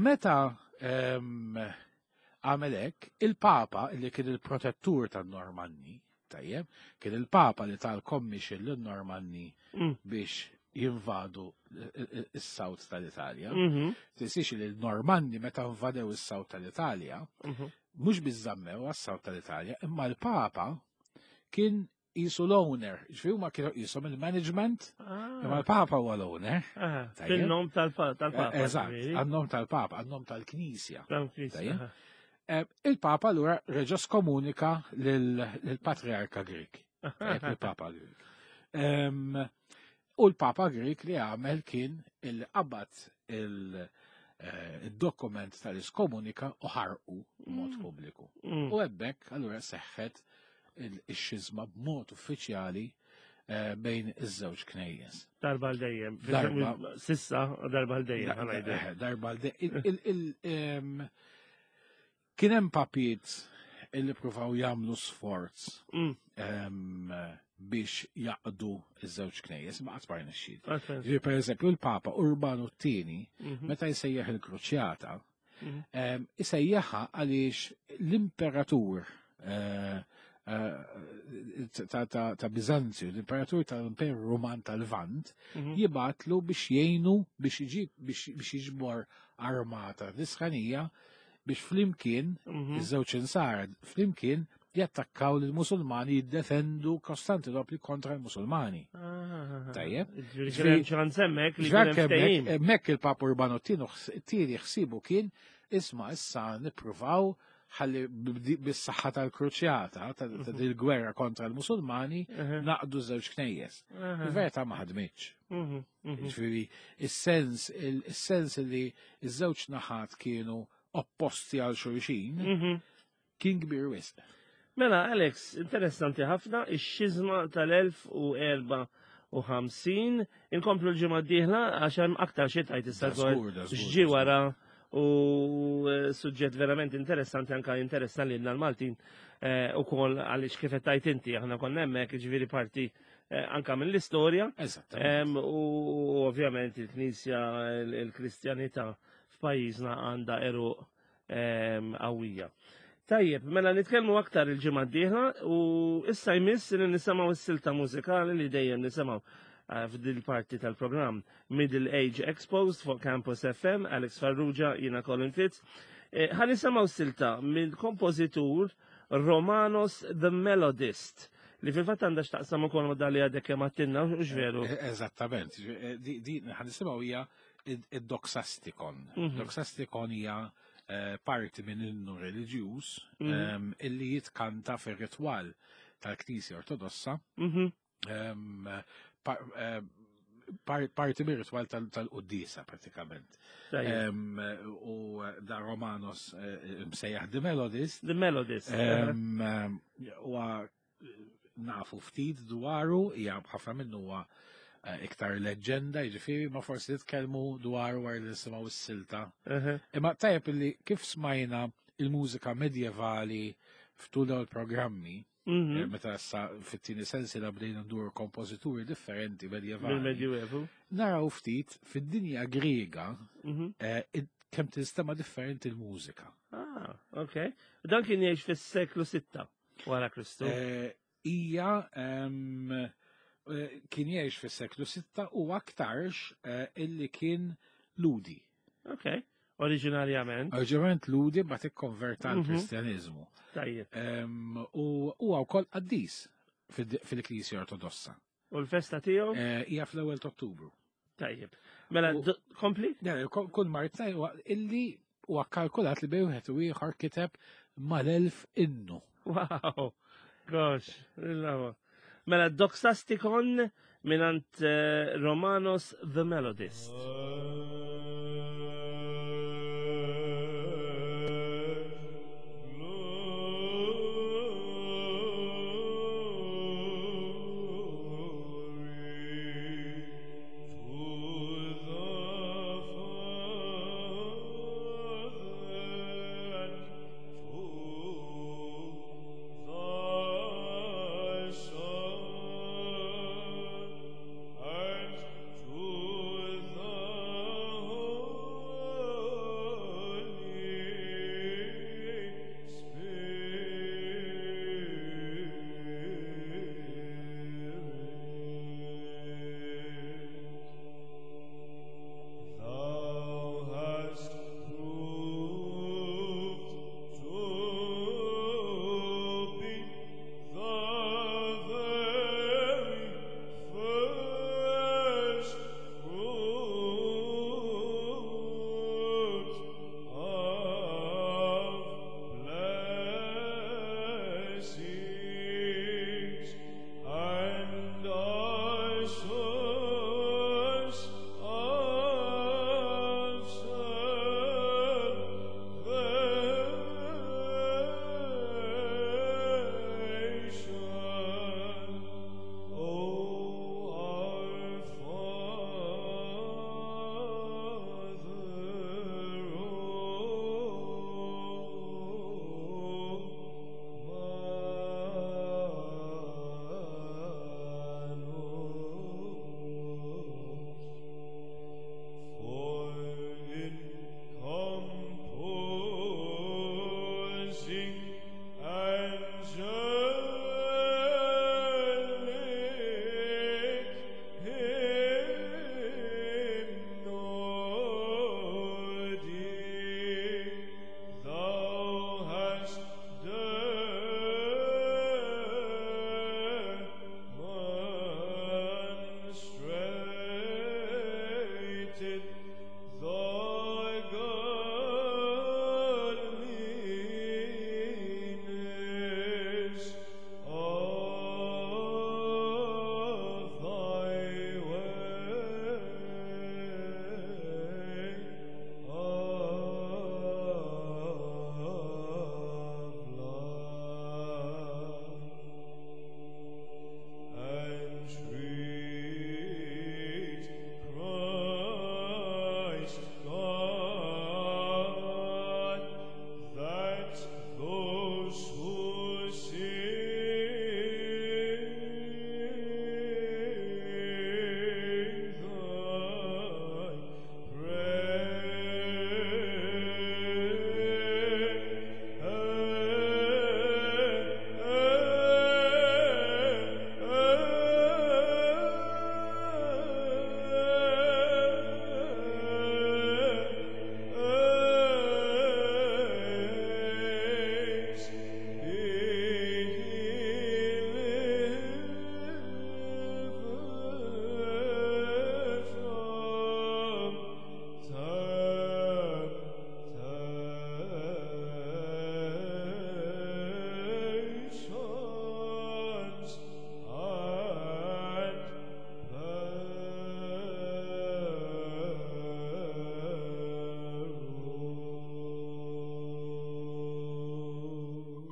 Meta għamel hekk, il-Papa li kien il-protettur tan-Normanni, tajjeb, kien il-Papa li tal-commission lin-Normanni biex jinvadu is-South tal-Italja. Tinsiex li l-Normanni meta invadew is-South tal-Italja, mhux biss żammew għas-South tal-Italja, imma l-Papa kien jisu l-owner, ġifieri huma kienu jisom il-management, imma l-Papa huwa l-owner. Tajjeb. Fin-nom tal-Papa, Eżatt, ġifieri. għan-nom tal-Papa, għan-nom tal-Knisja. Tal-Knisja, Tajjeb. aha. Il-Papa allura reġa' skomunika lill-Patriarka Grek. Tajjeb, il-Papa Grek. U l-Papa Grek li għamel kien il-qabad il-dokument tal-iskomunika u ħarqu b'mod pubbliku. U hemmhekk allura seħħet il-xizma b'mod uffiċjali bejn iż-żewġ knejjes. Darba għal dejjem. Darba. Sissa, darba għal dejjem, ħa ngħidu. Darba għal dejjem. Kien hemm papiet illi pruvaw jagħmlu sforz biex jaqdu iż-żewġ knejjes, ma qatt ma rnexxiet. Ġifieri, per eżempju, il-Papa Urbanu t-tieni, meta jsejjaħ il-Kruċjata, isejjaħha għaliex l-imperatur ta' Bizanzju, l-imperatur tal-Imperu Ruman tal-Lvant, jibatlu biex jgħinu biex iġib biex jiġbor armata nisranija biex flimkien iż-żewġ insara flimkien jattakkaw lill-Musulmani, jiddefendu Kostantinopli kontra l-Musulmani. Tajjeb. Ġifieri kien hemm ċans hemmhekk li Ġifieri kien hemm ftehim. hemmhekk il-Papa Urbano t-tieni ħsibu kien isma' issa nippruvaw ħalli bis-saħħa tal-kruċjata, ta' dil-gwerra kontra l-Musulmani, naqdu żewġ knejjes. Il-verità ma ħadmitx. Ġifieri, is-sens li ż-żewġ naħat kienu opposti għal xulxin kien kbir wisq. Mela, Alex, interessanti ħafna, ix-xizma tal-elf u erba' 50. Inkomplu l-ġimgħa d-dieħla għax hemm aktar xi tajt issa dwar x'ġie wara u eh, suġġett verament interessanti anka interessa lilna l-Maltin eh, ukoll għaliex kif qed tajt inti aħna konna hemmhekk ġifieri parti eh, anka mill-istorja. U ovvjament il-Knisja il-Kristjanità f'pajjiżna għandha eruq qawwija. Tajjeb, mela nitkellmu aktar il-ġimgħa d-dieħla u issa jmiss li nisimgħu s-silta mużikali li dejjem nisimgħu eh, f'dil parti tal-programm Middle Age Exposed fuq Campus FM, Alex Farrugia, jina Colin Fitz. Eh, ħa nisimgħu silta mill-kompożitur Romanos the Melodist li fil-fatt għandha x'taqsam ukoll ma' dali għadek kemm għattilna, u veru. Eh, eżattament, di ħa nisimgħu hija id-doxastikon. Doxastikon hija eh, parti minn innu reliġjuż mhm. illi jitkanta fir-ritwal tal-Knisja Ortodossa. Mhm. Eh, parti mir ritwal tal-qoddisa pratikament. U da Romanos eh, msejjaħ The Melodist. The Melodist. U nafu ftit dwaru, hija ħafna minnu huwa eh, iktar leġġenda, jiġifieri ma forsi nitkellmu dwaru wara li nisimgħu s-silta. Imma tajjeb li kif smajna il-mużika medjevali f'tul dawn il-programmi, mhm. eh, meta sa fit-tieni sensi la bdejna ndur kompożituri differenti medjevali. Mill-Medjuevu. Naraw ftit fid-dinja Griega mhm. eh, kemm tinstema' differenti l-mużika. Ah, ok. Dan kien jgħix fis-seklu 6. Wara Kristu. Eh, hija eh, kien jgħix fis-seklu 6 u aktarx eh, illi kien ludi. Ok, oriġinarjament. Oriġinarjament ludi ma tikkonverta għal mhm. kristjaniżmu. Tajjeb. U huwa wkoll qaddis fil-Knisja Ortodossa. U l-festa tiegħu? Hija fl-ewwel ta' Ottubru. Tajjeb. Mela, kompli? Kull mart illi huwa kalkulat li bejn wieħed u ieħor kiteb mal-elf innu. Wow! Gosh, Mela, Doxastikon minant eh, Romanos the Melodist.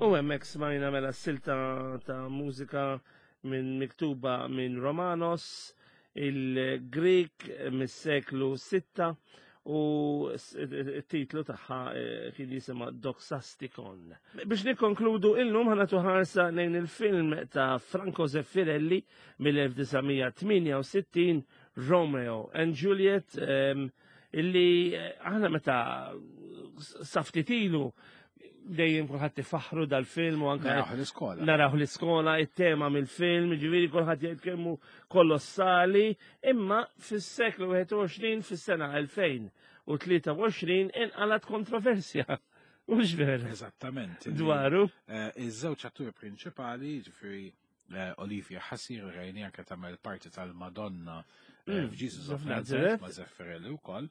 U hemmhekk smajna mela silta ta' mużika minn miktuba minn Romanos, il-Grik mis-seklu 6 u t-titlu tagħha eh, kien jisimha Doxastikon. Biex nikkonkludu illum ħanatu ħarsa lejn il-film ta' Franco Zeffirelli mill-1968 Romeo and Juliet ehm, illi eh, aħna meta saftitilu dejjem kulħadd ifaħru dal-film u anke Naraw l-iskola. Naraw l-iskola, it-tema mill-film, ġifieri kulħadd jgħid kemmu kolossali, imma fis-seklu 21 fis-sena 2023 inqalat kontroversja. Mhux vera. Eżattament. Dwaru. Eh, iż-żewġ atturi prinċipali, ġifieri eh, Olivia Hussey rajni anke tagħmel parti tal-Madonna eh, f'Jesusof of Nazareth ma' Zeffirelli wkoll.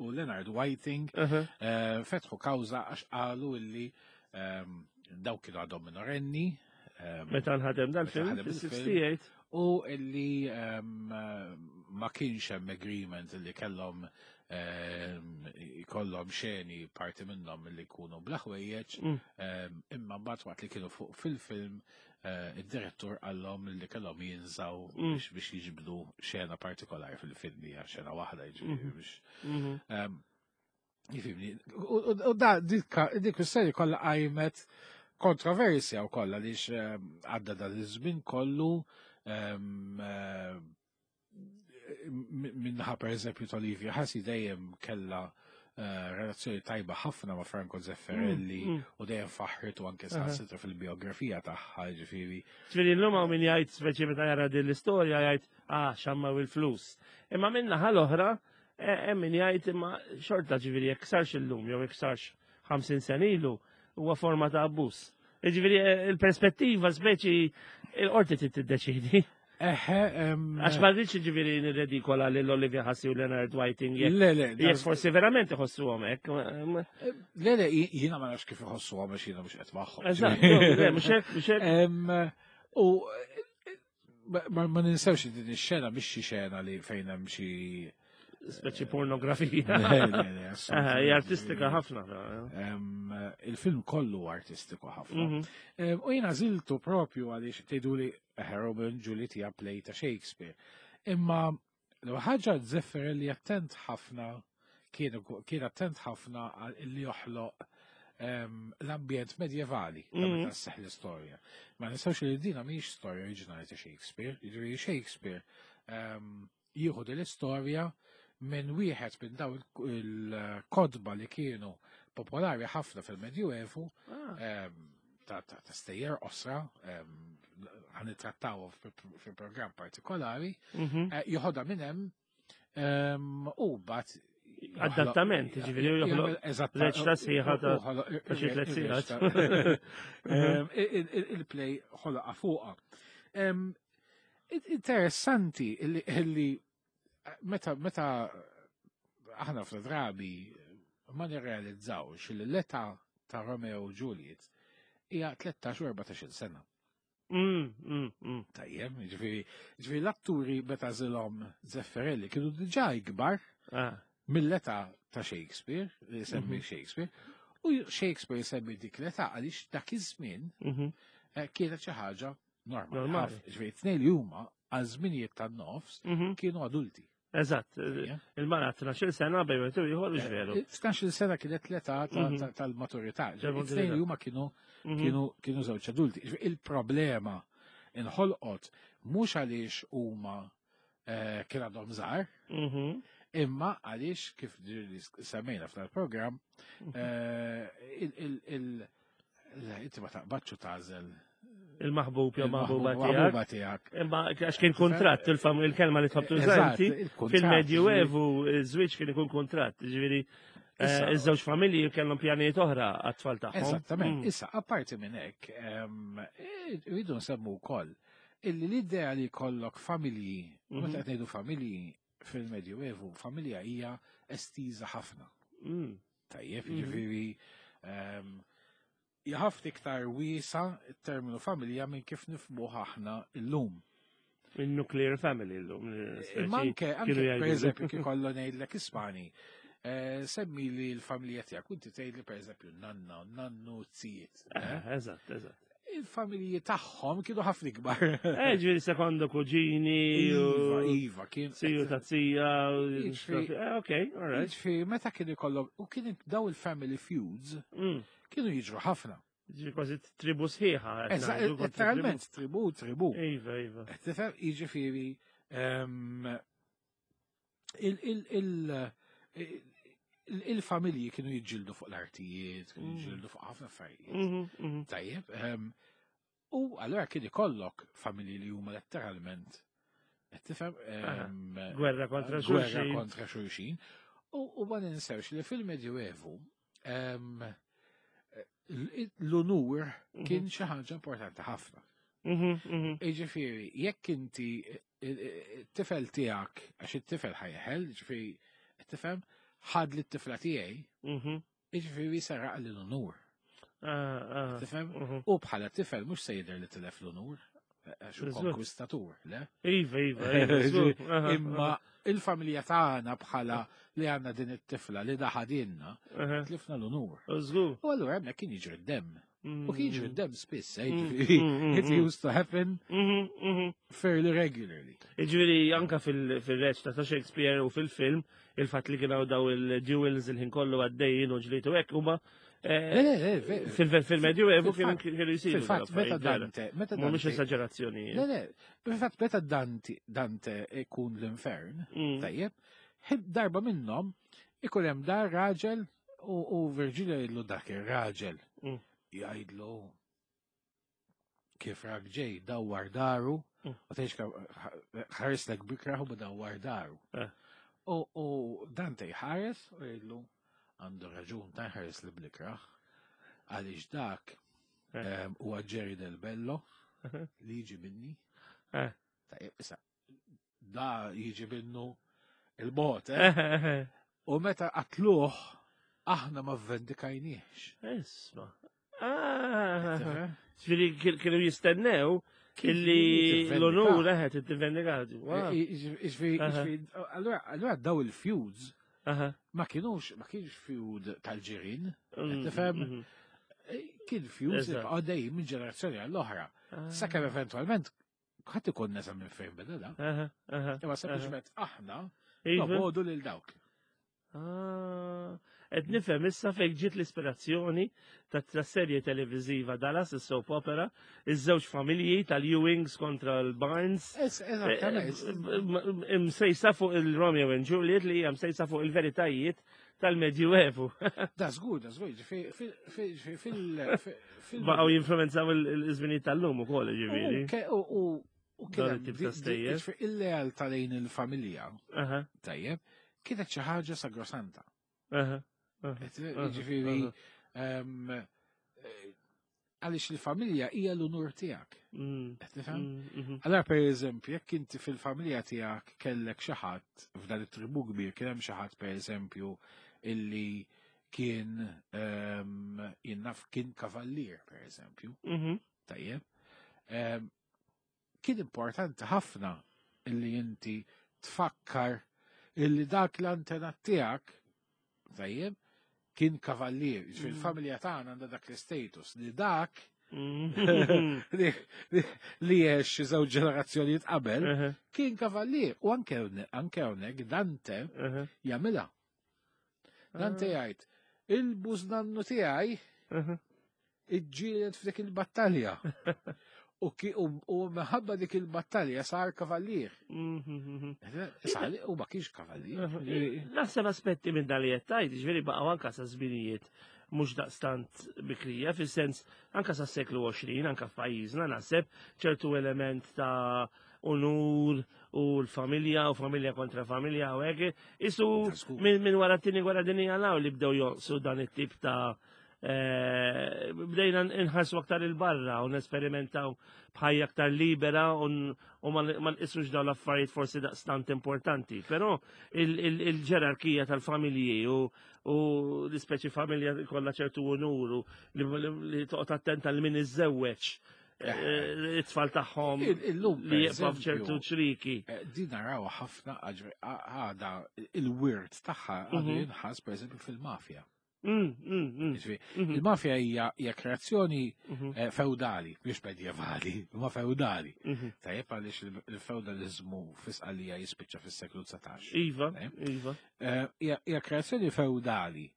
U Leonard Whiting eh, fetħu kawża għax qalu illi dawk kienu għadhom minorenni. Meta nħadem dal-film, Meta nħadem il-film. fis-68. U illi ma kienx hemm agreement illi kellhom ikollhom xeni parti minnhom illi jkunu bla ħwejjeġ, imma mbagħad waqt li kienu fuq fil-film id-direttur qallhom li kellhom jinżaw biex jiġbdu xena partikolari fil-film hija xena waħda jiġifieri biex Jifimni, u da dik kwistjoni kollha qajmet kontroversja u kollha għaliex għadda dan iż-żmien kollu minnaħa per eżempju ta' Olivia Hussey dejjem kella relazzjoni tajba ħafna ma' Franco Zeffirelli u dejjem faħħritu anke saħansitra fil-biografija tagħha ġifieri. Ġifieri llum hawn min jgħid speċi meta jara din l-istorja jgħid ah xammaw il-flus. Imma minnaħa l-oħra hemm min jgħid imma xorta ġifieri jekk sarx illum jew jekk sarx 50 sena ilu huwa forma ta' abbuż. Ġifieri il-perspettiva speċi il-qorti trid tiddeċidi. Eħe, Għax ma rridx ġifieri nirredikola lil Olivia Hussey u Leonard Whiting jekk Le, le, jekk forsi verament iħossuhom hekk. Le, le, jiena ma nafx kif iħossuhom għax jiena mhux qed magħhom. Eżatt, le, mhux hekk, mhux hekk. U ma ninsewx li din ix-xena mhix xi xena li fejn hemm xi Speċi pornografija. Le, le, le, Aha, assolutament. Hija artistika ħafna. Il-film kollu artistiku ħafna. U jiena żiltu propju għaliex tgħiduli Romeo and Juliet hija play ta' Shakespeare. Imma l ħaġa Zeffirelli attent ħafna kien attent ħafna għal illi joħloq l-ambjent medjevali ta' meta sseħħ l-istorja. Ma nistgħux li dina mhix storja oriġinali ta' Shakespeare, jiġifieri Shakespeare jieħu din l-istorja minn wieħed minn daw il-kotba li kienu popolari ħafna fil-Medjuevu ta' stejjer qosra ħa nittrattaw fil-programm partikolari, joħodha minn hemm u bat Adattament, ġifieri, u joħloq Eżatt. reċta sħiħa ta' xi tliet sigħat. Il-play ħoloqa fuqha. Interessanti illi meta aħna fl-drabi ma nirrealizzawx li l-età ta' Romeo u Juliet hija 13 u 14 sena. Tajjeb, ġifieri l-atturi meta żilhom Zeffirelli kienu diġà ikbar mill-età ta' Shakespeare, li semmi Shakespeare, u Shakespeare semmi dik l-età għaliex dak iż-żmien kienet xi ħaġa normali. Normali. Ġifieri tnejn li huma għal żminijiet tan-nofs kienu adulti. Eżatt, Tajjeb. il-mara 12 sena bejn wieħed u ieħor mhux veru. 12 sena kienet l-età tal-maturità. Ġifieri Tal-maturità. Tnejn li huma kienu żewġ adulti. Ġifieri Il-problema inħolqot mhux għaliex huma kien għadhom żgħar, imma għaliex kif ġieli semmejna f'dal programm inti ma taqbadx u tagħżel Il-maħbub jew maħbuba tiegħek. il-maħbuba tiegħek. Imma għax kien kontratt, il-kelma li tħobb tuża Eżatt, inti, il-kuntratt, fil-Medjuevu iż-żwieġ kien ikun kontratt, ġifieri Issa- iż-żewġ familji kellhom pjanijiet oħra għat-tfal tagħhom. Eżattament. Issa, apparti minn hekk, rridu nsemmu wkoll illi l-idea li jkollok familji, meta qed ngħidu familji fil-Medjuevu, familja hija estiża ħafna. Tajjeb, jiġifieri hija ħafna iktar wiesa t-terminu familja minn kif nifhmuh aħna llum. Il-nuclear family llum. Imma anke, kienu anke per jgħidu. eżempju, kif kollu ngħidlek Ispani. Semmi li l-familja tiegħek, inti tgħidli pereżempju nanna, nannu, zijiet. Eżatt, eżatt. Il-familji tagħhom kienu ħafna ikbar. Ġifieri sekondo kuġini. Iva, iva, kien. Siju ta' zija. Ok, all right. Ġifieri meta kien ikollhom u kien daw il-family feuds kienu jiġru ħafna. Ġifieri kważi tribu sħiħa. Eżatt, letteralment tribu, tribu. Iva, iva. Tifhem, jiġifieri il-familji kienu jiġġieldu fuq l-artijiet, kienu jiġġieldu fuq ħafna affarijiet. Tajjeb, u allura kien ikollok familji li huma letteralment tifhem gwerra kontra xulxin. Gwerra kontra xulxin. U ma ninsewx li fil-Medjuevu l-unur kien xi ħaġa importanti ħafna. Jiġifieri, jekk inti it-tifel tiegħek, għax it-tifel ħa jeħel, ġifieri, tifhem, ħad li t-tifla tiegħi, jiġifieri seraq l-unur. Tifhem? U bħala tifel mhux se jidher li tilef l-unur, għax hu konkwistatur, le? Iva, iva, iva. Imma il-familja tagħna bħala li għandna din it-tifla li daħadinna, tlifna l-unur. U allura hemmhekk kien jiġri d-demm. U kien jiġri d-demm spiss, it used to happen fairly regularly. Ġifieri anka fil-reċta ta' Shakespeare u fil-film, il-fatt li kienu daw il-duels il-ħin kollu għaddejjin u ġlitu hekk huma fil-Medjuevu kienu jisiru. Fil-fatt, meta Dante, meta Dante. Mhumiex esagerazzjoni. Le, le, fil-fatt, meta Dante, Dante ikun l-infern, tajjeb, darba minnhom ikun hemm dar raġel u Virgilio jgħidlu dak ir-raġel. Jgħidlu kif rak ġej dawwar daru, u tgħix ħareslek b'ikrah u dawwar daru. U Dante jħares u jgħidlu għandu raġun ta' ħares li bl-ikrah, għaliex dak huwa Jerry Del Bello li jiġi minni. Tajjeb, issa, da jiġi minnu il-bot, eh? U meta qatluh, aħna ma vendikajniex. Isma. Ġifieri kienu jistennew illi l-onur eħet id-vendikati. Allura daw il-feuds ma kienux, ma kienx feud tal-ġirin, tifhem? Kien feuds li għaddej minn ġenerazzjoni għall-oħra. Sakemm eventualment ħadd ikun nesa minn fejn beda da. Imma sempliċement aħna nobogħdu lil dawk. Qed nifhem issa fejn ġiet l-ispirazzjoni ta' serje televiżiva Dallas, is-soap opera, iż-żewġ familji tal-Ewings kontra l-Barnes. Eżattament. Msejsa fuq il-Romeo and Juliet li hija msejsa fuq il-veritajiet tal-Medjuevu. Da żgur, da żgur, fil Baqgħu jinfluwenzaw il-żminijiet tal-lum ukoll, ġifieri. U kien il-lealtà lejn il-familja. Tajjeb, kienet xi ħaġa sagrosanta. Ġifieri, għaliex il-familja hija l-unur tiegħek. Tifhem? Allora per eżempju, jekk inti fil-familja tiegħek kellek xi ħadd f'dan it-tribu kbir kien hemm xi ħadd per eżempju illi kien jinnaf kien kavallier per eżempju. Tajjeb. Kien importanti ħafna illi inti tfakkar illi dak l-antenat tiegħek tajjeb kien kavallier. Fil-familja tagħna għandha dak l-status li dak li għex xi żewġ ġenerazzjonijiet qabel kien kavallier u anke hawnhekk Dante jagħmilha. Dante jgħid il-bużnannu tiegħi iġġieled f'dik il-battalja. U minħabba dik il-battalja sar kavallier. U ma kienx kavallier. Naħseb aspetti minn dan li qed tgħid, ġifieri baqgħu anka sa żminijiet mhux daqstant bikrija, fis-sens anka sa seklu 20, anka f'pajjiżna naħseb ċertu element ta' unur u l-familja u familja kontra familja u hekk. Isu minn wara t-tieni gwerra dinjija law li bdew jonqsu dan it-tip ta' bdejna nħarsu aktar il-barra u nesperimentaw bħajja aktar libera u ma nqisux dawn l-affarijiet forsi daqstant importanti. Però il-ġerarkija tal-familji u l-ispeċi familja kollha ċertu unur u li toqgħod attenta li min iżżewweġ. it-tfal tagħhom Illum li jibqgħu f'ċertu ċriki. Din naraw ħafna għada il-wirt tagħha għadu jinħass pereżempju fil-mafja. Il-mafja hija kreazzjoni feudali, mhux medjevali, ma feudali. Tajjeb għaliex il-feudalizmu fis-Sqallija jispiċċa fis-seklu 19. Iva, iva. Hija kreazzjoni feudali.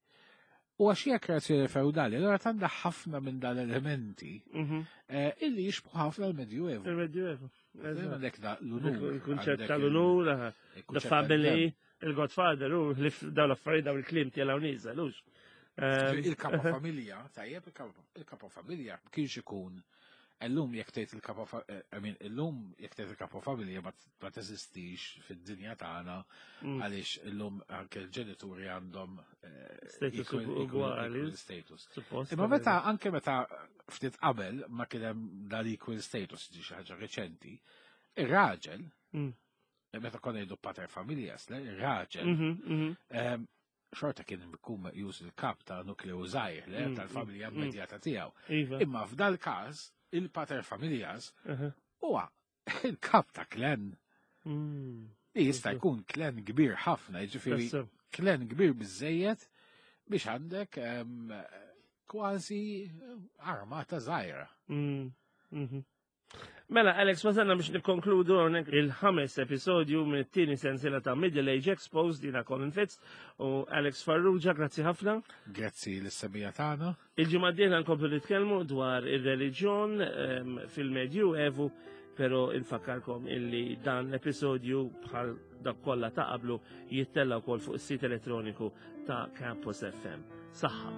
U għax hija kreazzjoni feudali, allura għandha ħafna minn dan elementi illi jixbħu ħafna l-Medjuevu. Il-Medjuevu. Għandek l-unur. Il-kunċett tal-unur, the family, il-Godfather, u dawn l-affarijiet dawn il-kliem tiegħu nieżel, hux. Il-kapa familja, tajjeb, il-kapa familja kienx ikun Illum jekk tgħid il-kapa I mean, illum jekk tgħid il-kapa familja ma teżistix fid-dinja tagħna għaliex illum anke l-ġenituri għandhom Status ugwali. Status. Imma meta anke meta ftit qabel ma kien hemm dal-equal status ġi xi ħaġa reċenti, ir-raġel meta konna jgħidu pater familias, le, ir-raġel xorta kien ikun meqjus il-kap ta' nukleu żgħir, le, tal-familja immedjata tiegħu. Imma f'dal każ il-pater familias huwa il-kap ta' klan. Li jista' jkun klan kbir ħafna, jiġifieri klan kbir biżejjed biex għandek kważi armata żgħira. Mela, Alex, wasalna biex nikkonkludu hawnhekk il-ħames episodju mit-tieni sensiela ta' Middle Age Exposed jiena Colin Fitz u Alex Farrugia, grazzi ħafna. Grazzi lis-semmiegħa tagħna. Il-ġimgħa d-dieħla nkomplu nitkellmu dwar ir-reliġjon fil-Medju Evu, pero infakkarkom illi dan l-episodju bħal dak kollha ta' qablu jittella wkoll fuq is-sit elettroniku ta' Campus FM. Saħħa.